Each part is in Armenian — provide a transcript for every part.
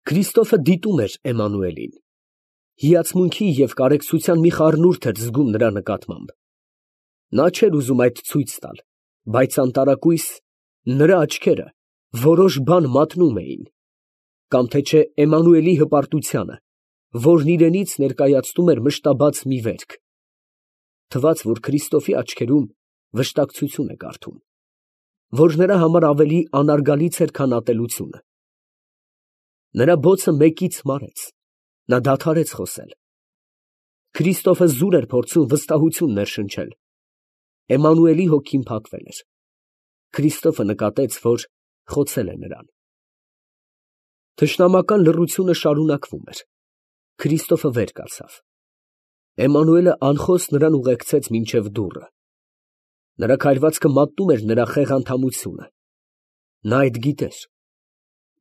Քրիստոֆը դիտում էր Էմմանուելին։ Հիացմունքի և կարեկցության մի խառնուրդ էր զգում նրա նկատմամբ։ Նա չէր ուզում այդ ցույց տալ, բայց անտարակույս նրա աչքերը որոշ բան մատնում էին, կամ թե չէ Էմմանուելի հպարտությանը, որն իրենից ներկայացնում էր մշտաբաց մի վերք։ Թվաց, որ Քրիստոֆի աչքերում վշտակցություն է կարդում, որ նրա համար ավելի անարգալից էր, քան ատելությունը։ Նրա բոցը մեկից մարեց, նա դադարեց խոսել։ Քրիստոֆը զուր էր փորձում վստահություն ներշնչել։ Էմմանուելի հոգին փակվել էր։ Քրիստոֆը նկատեց, որ խոցել է նրան։ Թշնամական լռությունը շարունակվում էր։ Քրիստոֆը վեր կացավ։ Էմմանուելը անխոս նրան ուղեկցեց մինչև դուռը։ Նրա քայլվածքը մատնում էր նրա խեղանդամությունը։ Նա այդ գիտեր,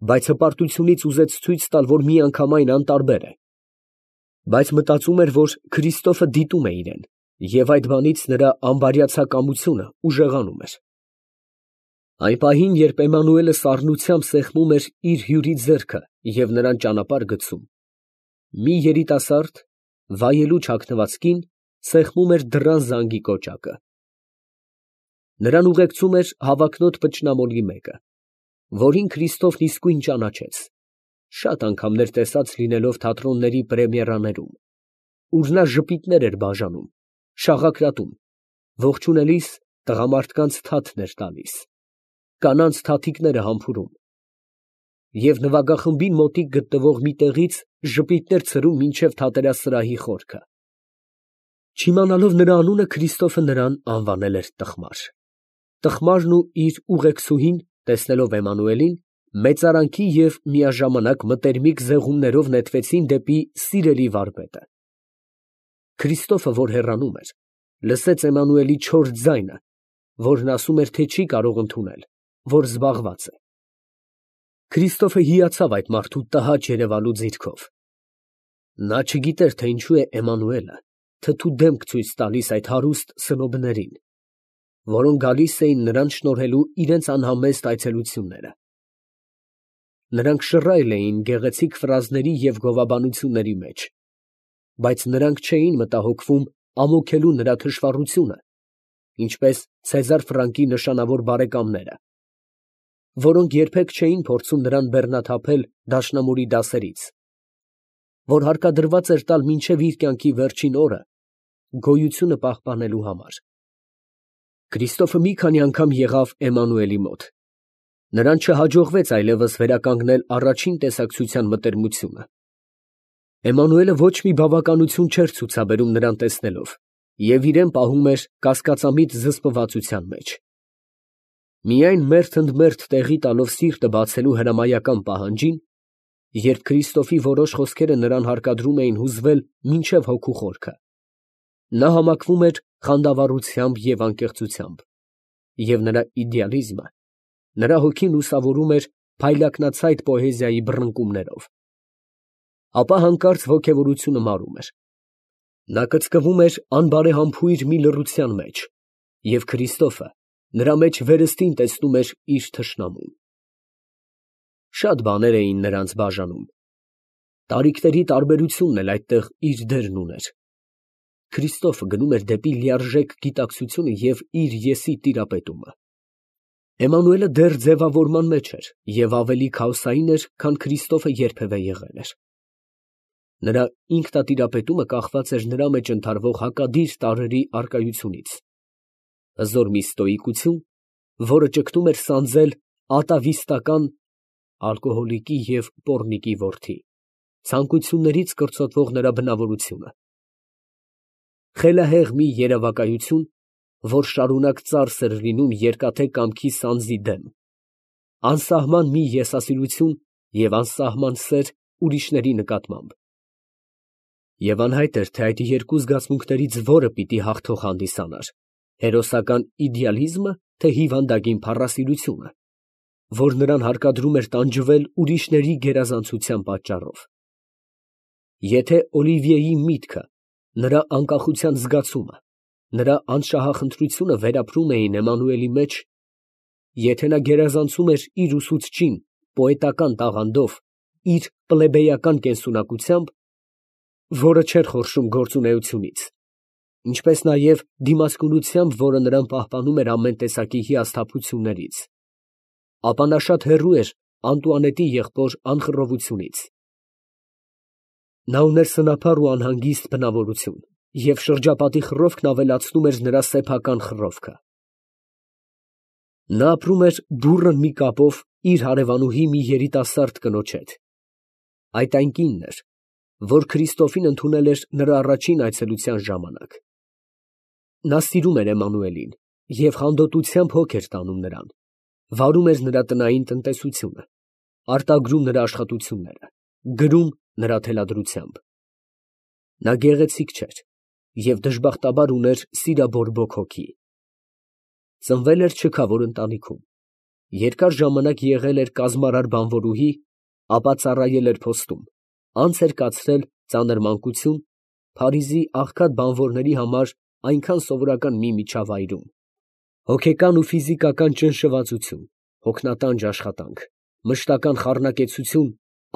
բայց հպարտությունից ուզեց ցույց տալ, որ միանգամայն անտարբեր է։ Բայց մտածում էր, որ Քրիստոֆը դիտում է իրեն, և այդ բանից նրա անբարյացակամությունը ուժեղանում էր։ Այն պահին, երբ Էմմանուելը սառնությամբ սեղմում էր իր հյուրի ձեռքը և նրան ճանապարհ գցում, մի երիտասարդ, վայելու չակնված կին սեղմում էր դռան զանգի կոճակը։ Նրան ուղեկցում էր հավակնոտ փչնամոլի մեկը, որին Քրիստոֆն իսկույն ճանաչեց, շատ անգամներ տեսած լինելով թատրոնների պրեմիերաներում, ուր նա ժպիտներ էր բաժանում, շաղակրատում, ողջունելիս տղամարդկանց թաթն էր տալիս, կանանց թաթիկները համբուրում և նվագախմբին մոտիկ գտնվող մի տեղից ժպիտներ ցրում մինչև թատերասրահի խորքը։ Չիմանալով նրա անունը, Քրիստոֆը նրան անվանել էր Տխմար։ Տխմարն ու իր ուղեկցուհին, տեսնելով Էմմանուելին, մեծարանքի և միաժամանակ մտերմիկ զեղումներով նետվեցին դեպի սիրելի վարպետը։ Քրիստոֆը, որ հեռանում էր, լսեց Էմմանուելի չոր ձայնը, որն ասում էր, թե չի կարող ընդունել, որ զբաղված է։ Քրիստոֆը հիացավ այդ մարդու տհաճ երևալու ձիրքով։ Նա չգիտեր, թե ինչու է Էմմանուելը թթու դեմք ցույց տալիս այդ հարուստ սնոբներին, որոնք գալիս էին նրան շնորհելու իրենց անհամեստ այցելությունները։ Նրանք շռայլ էին գեղեցիկ ֆրազների և գովաբանությունների մեջ, բայց նրանք չէին մտահոգվում ամոքելու նրա թշվառությունը, ինչպես Ցեզար Ֆրանկի նշանավոր բարեկամները, որոնք երբեք չէին փորձում նրան բեռնաթափել դաշնամուրի դասերից, որ հարկադրված էր տալ մինչև իր կյանքի վերջին օրը գոյությունը պահպանելու համար։ Քրիստոֆը մի քանի անգամ եղավ Էմմանուելի մոտ։ Նրան չհաջողվեց այլևս վերականգնել առաջին տեսակցության մտերմությունը։ Էմմանուելը ոչ մի բավականություն չէր ցուցաբերում նրան տեսնելով և իրեն պահում էր կասկածամիտ զսպվածության մեջ։ Միայն մերթ ընդ մերթ տեղի տալով սիրտը բացելու հրամայական պահանջին, երբ Քրիստոֆի որոշ խոսքերը նրան հարկադրում էին հուզվել մինչև հոգու խորքը, նա համակվում էր խանդավառությամբ և անկեղծությամբ, և նրա իդեալիզմը նրա հոգին լուսավորում էր փայլակնացայտ պոեզիայի բռնկումներով։ Ապա հանկարծ ոգևորությունը մարում էր։ Նա կծկվում էր անբարեհամբույր մի լռության մեջ, և Քրիստոֆը նրա մեջ վերստին տեսնում էր իր թշնամուն։ Շատ բաներ էին նրանց բաժանում։ Տարիքների տարբերությունն էլ այդտեղ իր դերն ուներ։ Քրիստոֆը գնում էր դեպի լիարժեք գիտակցությունը և իր եսի տիրապետումը։ Էմմանուելը դեռ ձևավորման մեջ էր և ավելի քաոսային էր, քան Քրիստոֆը երբևէ եղել էր։ Նրա ինքնատիրապետումը կախված էր նրա մեջ ընթարվող հակադիր տարրերի առկայությունից, հզոր մի ստոիկություն, որը ճգնում էր սանձել ատավիստական ալկոհոլիկի և պոռնիկի որդի ցանկություններից կրծոտվող նրա բնավորությունը, խելահեղ մի երևակայություն, որ շարունակ ծարս էր լինում երկաթե կամքի սանձի դեմ, անսահման մի եսասիրություն և անսահման սեր ուրիշների նկատմամբ։ Եվ անհայտ էր, թե այդ երկու զգացմունքներից որը պիտի հաղթող հանդիսանար՝ հերոսական իդեալիզմը, թե հիվանդագին փառասիրությունը, որ նրան հարկադրում էր տանջվել ուրիշների գերազանցության պատճառով։ Եթե Օլիվիեի միտքը, նրա անկախության զգացումը, նրա անշահախնդրությունը վերապրում էին Էմմանուելի մեջ, եթե նա գերազանցում էր իր ուսուցչին պոետական տաղանդով, իր պլեբեյական կենսունակությամբ, որը չէր խորշում գործունեությունից, ինչպես նաև դիմացկունությամբ, որը նրան պահպանում էր ամեն տեսակի հիասթափություններից, ապա նա շատ հեռու էր Անտուանետի եղբոր անխռովությունից։ Նա ուներ սնափառ ու անհանգիստ բնավորություն, և շրջապատի խռովքն ավելացնում էր նրա սեփական խռովքը։ Նա ապրում էր բուռն մի կապով իր հարևանուհի մի երիտասարդ կնոջ հետ։ Այդ այն կինն էր, որ Քրիստոֆին ընդունել էր նրա առաջին այցելության ժամանակ։ Նա սիրում էր Էմմանուելին և հանդոտությամբ հոգ էր տանում նրան, վարում էր նրա տնային տնտեսությունը, արտագրում նրա աշխատությունները, գրում նրա թելադրությամբ։ Նա գեղեցիկ չէր և դժբախտաբար ուներ սիրաբորբոք հոգի։ Ծնվել էր չքավոր ընտանիքում, երկար ժամանակ եղել էր կազմարար բանվորուհի, ապա ծառայել էր փոստում, անց էր կացրել ծանր մանկություն Փարիզի աղքատ բանվորների համար այնքան սովորական մի միջավայրում։ Հոգեկան ու ֆիզիկական ճնշվածություն, հոգնատանջ աշխատանք, մշտական խառնակեցություն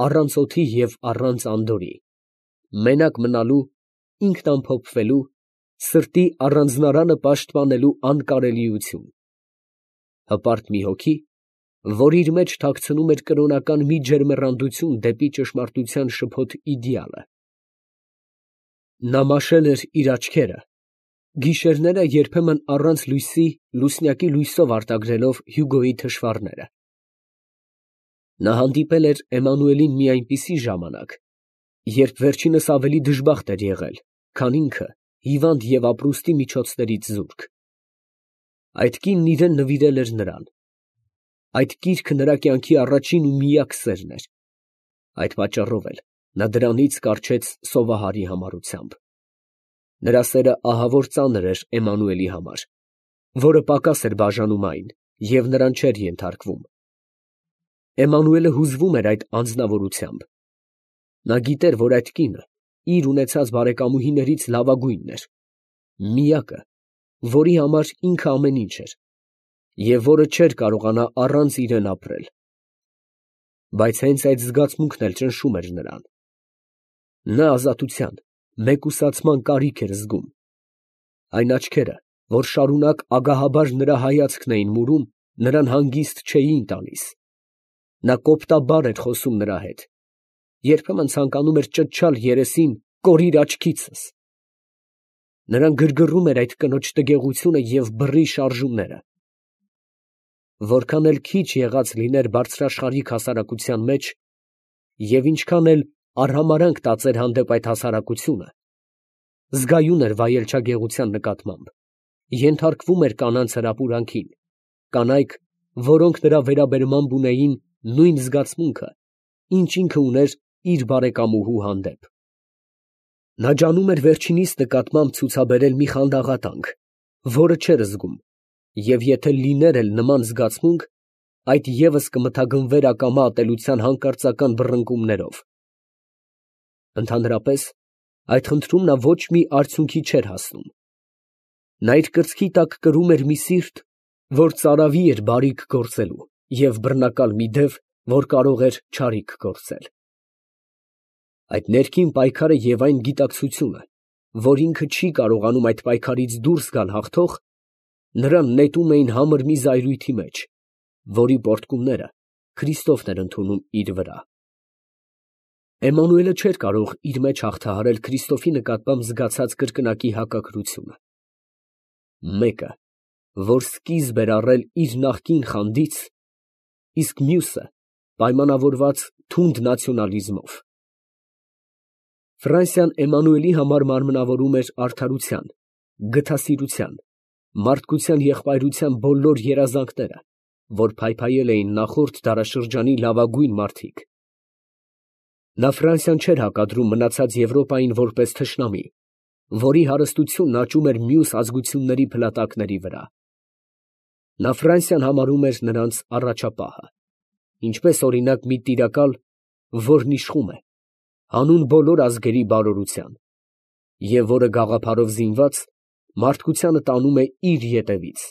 առանց օդի և առանց անդորրի, մենակ մնալու, ինքնամփոփվելու, սրտի առանձնարանը պաշտպանելու անկարելիություն, հպարտ մի հոգի, որ իր մեջ թաքցնում էր կրոնական մի ջերմեռանդություն դեպի ճշմարտության շփոթ իդեալը։ Նա մաշել էր իր աչքերը, գիշերները երբեմն առանց լույսի լուսնյակի լույսով արտագրելով Հյուգոյի թշվառները։ Նա հանդիպել էր Էմմանուելին մի այնպիսի ժամանակ, երբ վերջինս ավելի դժբախտ էր եղել, քան ինքը հիվանդ և ապրուստի միջոցներից զուրկ։ Այդ կինն իրան նվիրել էր նրան։ Այդ կիրքը նրա կյանքի առաջին ու միակ սերն էր։ Այդ պատճառով էլ նա դրանից կառչեց սովահարի համառությամբ։ Նրա սերը ահավոր ծանր էր Էմմանուելի համար, որը պակաս էր բաժանում այն և նրան չէր ենթարկվում։ Էմմանուելը հուզվում էր այդ անձնավորությամբ։ Նա գիտեր, որ այդ կինը իր ունեցած բարեկամուհիներից լավագույնն էր, միակը, որի համար ինքը ամեն ինչ էր, և որը չէր կարողանա առանց իրան ապրել։ Բայց հենց այդ զգացմունքն էլ ճնշում էր նրան։ Նա ազատության, մեկուսացման կարիք էր զգում։ Այն աչքերը, որ շարունակ ագահաբար նրա հայացքն էին մուրում, նրան հանգիստ չէին տալիս։ Նա կոպտաբար էր խոսում նրա հետ, երբեմն ցանկանում էր ճչալ երեսին. «Կորիր աչքիցս»։ Նրան գրգռում էր այդ կնոջ տգեղությունը և բռի շարժումները։ Որքան էլ քիչ եղած լիներ բարձրաշխարհիկ հասարակության մեջ, և ինչքան էլ արհամարհանք տածեր հանդեպ այդ հասարակությունը, զգայուն էր վայելչագեղության նկատմամբ, ենթարկվում էր կանանց հրապուրանքին, կանայք, որոնք նրա վերաբերմամբ ունեին նույն զգացմունքը, ինչ ինքը ուներ իր բարեկամուհու հանդեպ։ Նա ջանում էր վերջինիս նկատմամբ ցուցաբերել մի խանդաղատանք, որը չէր զգում, և եթե լիներ էլ նման զգացմունք, այդ ևս կմթագնվեր ակամա ատելության հանկարծական բռնկումներով։ Ընդհանրապես, այդ խնդրում նա ոչ մի արդյունքի չէր հասնում։ Նա իր կրծքի տակ կրում էր մի սիրտ, որ ծարավի էր բարիք գործելու, և բռնակալ մի դև, որ կարող էր չարիք գործել։ Այդ ներքին պայքարը և այն գիտակցությունը, որ ինքը չի կարողանում այդ պայքարից դուրս գալ հաղթող, նրան նետում էին համր մի զայրույթի մեջ, որի պոռթկումները Քրիստոֆն էր ընդունում իր վրա։ Էմմանուելը չէր կարող իր մեջ հաղթահարել Քրիստոֆի նկատմամբ զգացած կրկնակի հակակրությունը։ Մեկը, որ սկիզբ էր առել իր նախկին խանդից, իսկ մյուսը պայմանավորված թունդ նացիոնալիզմով։ Ֆրանսիան Էմմանուելի համար մարմնավորում էր արդարության, գթասիրության, մարդկության եղբայրության բոլոր երազանքները, որ փայփայել էին նախորդ դարաշրջանի լավագույն մարդիկ։ Նա Ֆրանսիան չէր հակադրում մնացած Եվրոպային որպես թշնամի, որի հարստությունն աճում էր մյուս ազգությունների փլատակների վրա։ Նա Ֆրանսիան համարում էր նրանց առաջապահը, ինչպես օրինակ մի տիրակալ, որն իշխում է, հանուն բոլոր ազգերի բարօրության, և որը գաղափարով զինված, մարդկությանը տանում է իր ետևից։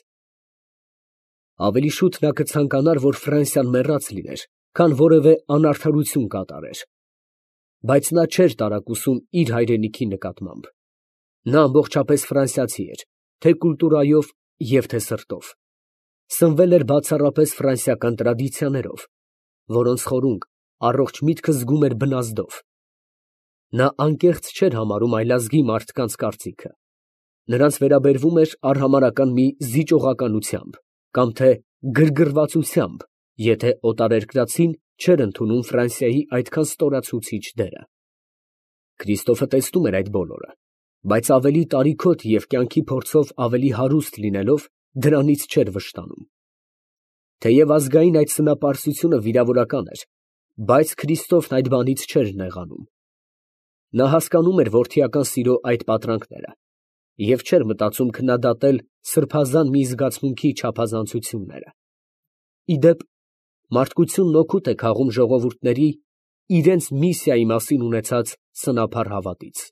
Ավելի շուտ նա կցանկանար, որ Ֆրանսիան մեռած լիներ, քան որևէ անարդարություն կատարեր, բայց նա չէր տարակուսում իր հայրենիքի նկատմամբ. նա ամբողջապես ֆրանսիացի էր, թե կուլտուրայով և թե սրտով, սնվել էր բացառապես ֆրանսիական տրադիցիաներով, որոնց խորունգ առողջ միտքը զգում էր բնազդով. նա անկեղծ չէր համարում այլազգի մարդկանց կարծիքը, նրանց վերաբերվում էր արհամարհական մի զիջողականությամբ կամ թե գրգռվածությամբ, եթե օտարերկրացին չէր ընդունում Ֆրանսիայի այդքան ստորացուցիչ դերը։ Քրիստոֆը տեսնում էր այդ բոլորը, բայց ավելի տարիքոտ և կյանքի փորձով ավելի հարուստ լինելով, դրանից չէր վշտանում։ Թեև ազգային այդ սնապարծությունը վիրավորական էր, բայց Քրիստոֆն այդ բանից չէր նեղանում։ Նա հասկանում էր որդիական սիրո այդ պատրանքները և չէր մտածում քննադատել սրբազան մի զգացմունքի չափազանցությունները։ Ի դեպ, մարդկությունն օգուտ է քաղում ժողովուրդների իրենց միսիայի մասին ունեցած սնափառ հավատից։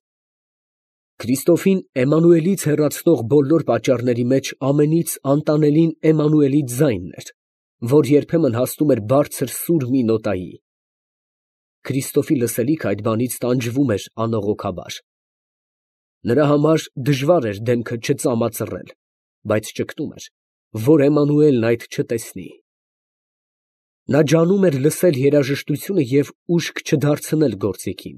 Քրիստոֆին Էմմանուելից հեռացնող բոլոր պատճառների մեջ ամենից անտանելին Էմմանուելի ձայնն էր, որ երբեմն հասնում էր բարձր սուր մի նոտայի։ Քրիստոֆի լսելիքը այդ բանից տանջվում էր անողոքաբար։ Նրա համար դժվար էր դեմքը չծամածռել, բայց ճգտում էր, որ Էմմանուելն այդ չտեսնի։ Նա ջանում էր լսել երաժշտությունը և ուշք չդարձնել գործիքին։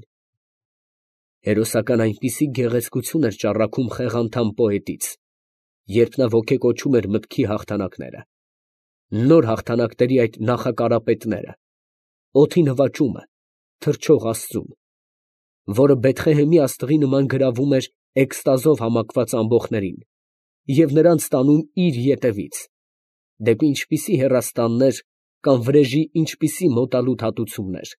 Հերոսական այնպիսի գեղեցկություն էր ճառագում խեղանդամ պոետից, երբ նա ոգեկոչում էր մտքի հաղթանակները, նոր հաղթանակների այդ նախակարապետները, օդի նվաճումը, թռչող աստծուն, որը Բեթղեհեմի աստղի նման գրավում էր էկստազով համակված ամբոխներին և նրանց տանում իր ետևից, դեպի ինչպիսի հեռաստաններ կամ վրեժի ինչպիսի մոտալուտ հատուցումներ։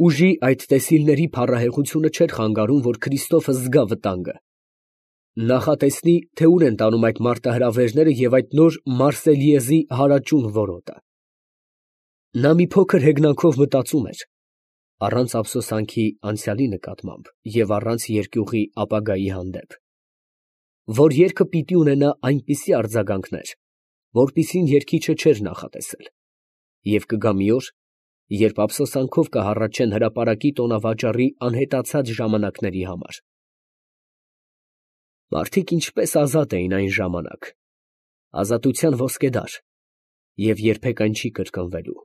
Ուժի այդ տեսիլների փառահեղությունը չէր խանգարում, որ Քրիստոֆը զգա վտանգը, նախատեսնի, թե ուր են տանում այդ մարտահրավերները և այդ նոր Մարսելիեզի հարաճուն որոտը։ Նա մի փոքր հեգնանքով մտածում էր, առանց ափսոսանքի անցյալի նկատմամբ և առանց երկյուղի ապագայի հանդեպ, որ երգը պիտի ունենա այնպիսի արձագանքներ, որպիսին երգիչը չէր նախատեսել, և կգա մի օր, երբ ափսոսանքով կհառաչեն հրապարակի տոնավաճառի անհետացած ժամանակների համար։ Մարդիկ ինչպես ազատ էին այն ժամանակ, ազատության ոսկեդար, և երբեք այն չի կրկնվելու։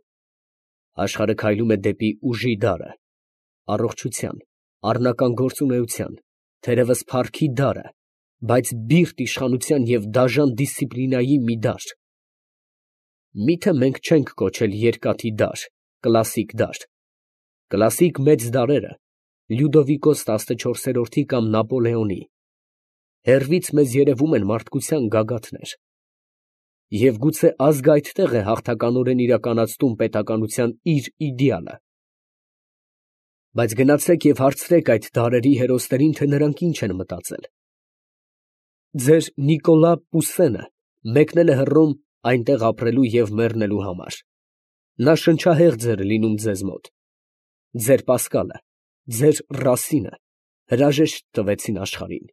Աշխարհը քայլում է դեպի ուժի դարը, առողջության, առնական գործունեության, թերևս փառքի դարը, բայց բիրտ իշխանության և դաժան դիսցիպլինայի մի դար։ Մի՞թե մենք չենք կոչել երկաթի դար, կլասիկ դար։ Կլասիկ մեծ դարերը Լյուդովիկոս 14-րդի կամ Նապոլեոնի, հեռվից մեզ երևում են մարդկության գագաթներ։ Եվ գուցե ազգը այդտեղ է հաղթականորեն իրականացնում պետականության իր իդեալը։ Բայց գնացեք և հարցրեք այդ դարերի հերոսներին, թե նրանք ինչ են մտածել։ Ձեր Նիկոլա Պուսենը մեկնել է Հռոմ այնտեղ ապրելու և մեռնելու համար։ Նա շնչահեղձ էր լինում ձեզ մոտ։ Ձեր Պասկալը, ձեր Ռասինը հրաժեշտ տվեցին աշխարհին։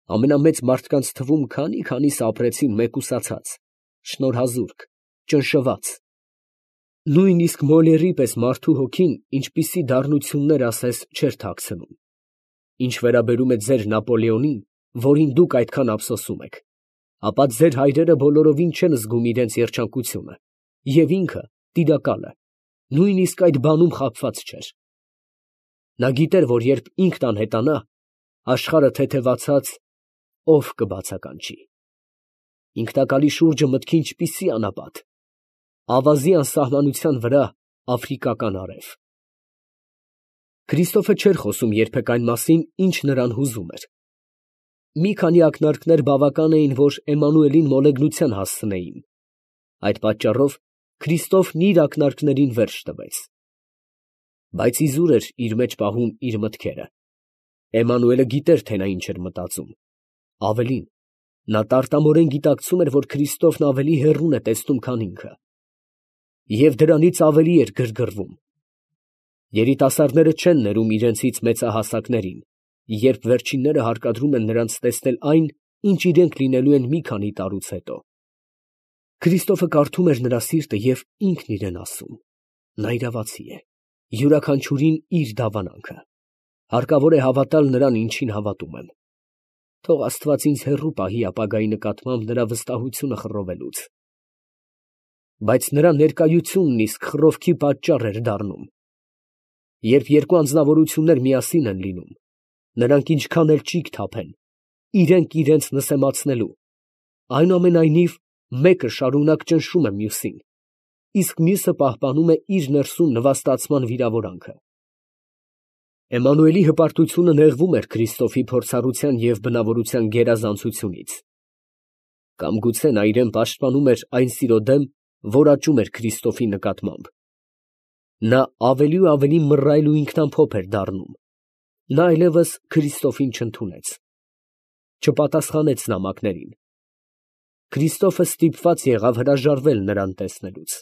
Ամենամեծ մարդկանց թվում քանի՞քանիսը ապրեցին մեկուսացած, շնորհազուրկ, ճնշված։ Նույնիսկ Մոլերի պես մարդու հոգին ինչպիսի դառնություններ ասես չէր թաքցնում։ Ինչ վերաբերում է ձեր Նապոլեոնին, որին դուք այդքան ափսոսում եք, ապա ձեր հայրերը բոլորովին չեն զգում իրենց երջանկությունը, և ինքը, տիրակալը, նույնիսկ այդ բանում խաբված չէր։ Նա գիտեր, որ երբ ինքն անհետանա, աշխարհը թեթևացած ո՞վ կբացականչի։ Ինքնակալի շուրջը մտքի ինչպիսի անապատ, ավազի անսահմանության վրա աֆրիկական արև։ Քրիստոֆը չէր խոսում երբեք այն մասին, ինչ նրան հուզում էր։ Մի քանի ակնարկներ բավական էին, որ Էմմանուելին մոլեգնության հասցնեին։ Այդ պատճառով Քրիստոֆն իր ակնարկներին վերջ տվեց։ Բայց իզուր էր իր մեջ պահում իր մտքերը։ Էմմանուելը գիտեր, թե նա ինչ էր մտածում։ Ավելին, նա տարտամորեն գիտակցում էր, որ Քրիստոֆն ավելի հեռուն է տեսնում, քան ինքը։ Եվ դրանից ավելի էր գրգռվում։ Երիտասարդները չեն ներում իրենցից մեծահասակներին, երբ վերջինները հարկադրում են նրանց տեսնել այն, ինչ իրենք լինելու են մի քանի տարուց հետո։ Քրիստոֆը կարդում էր նրա սիրտը և ինքն իրան ասում. Նա իրավացի է, յուրաքանչյուրին իր դավանանքը, հարկավոր է հավատալ նրան, ինչին հավատում եմ, թող Աստված ինձ հեռու պահի ապագայի նկատմամբ նրա վստահությունը խռովելուց, բայց նրա ներկայությունն իսկ խռովքի պատճառ էր դառնում, երբ երկու անձնավորություններ միասին են լինում, նրանք ինչքան էլ ճիգ թափեն, իրենք իրենց նսեմացնելու, այնուամենայնիվ մեկը շարունակ ճնշում է մյուսին, իսկ մյուսը պահպանում է իր ներսում նվաստացման վիրավորանքը։ Էմմանուելի հպարտությունը նեղվում էր Քրիստոֆի փորձառության և բնավորության գերազանցությունից, կամ գուցե նա իրան պաշտպանում էր այն սիրո դեմ, որ աճում էր Քրիստոֆի նկատմամբ։ Նա ավելի ու ավելի մռայլ ու ինքնամփոփ էր դառնում, նա այլևս Քրիստոֆին չընդունեց, չպատասխանեց նամակներին։ Քրիստոֆը ստիպված եղավ հրաժարվել նրան տեսնելուց։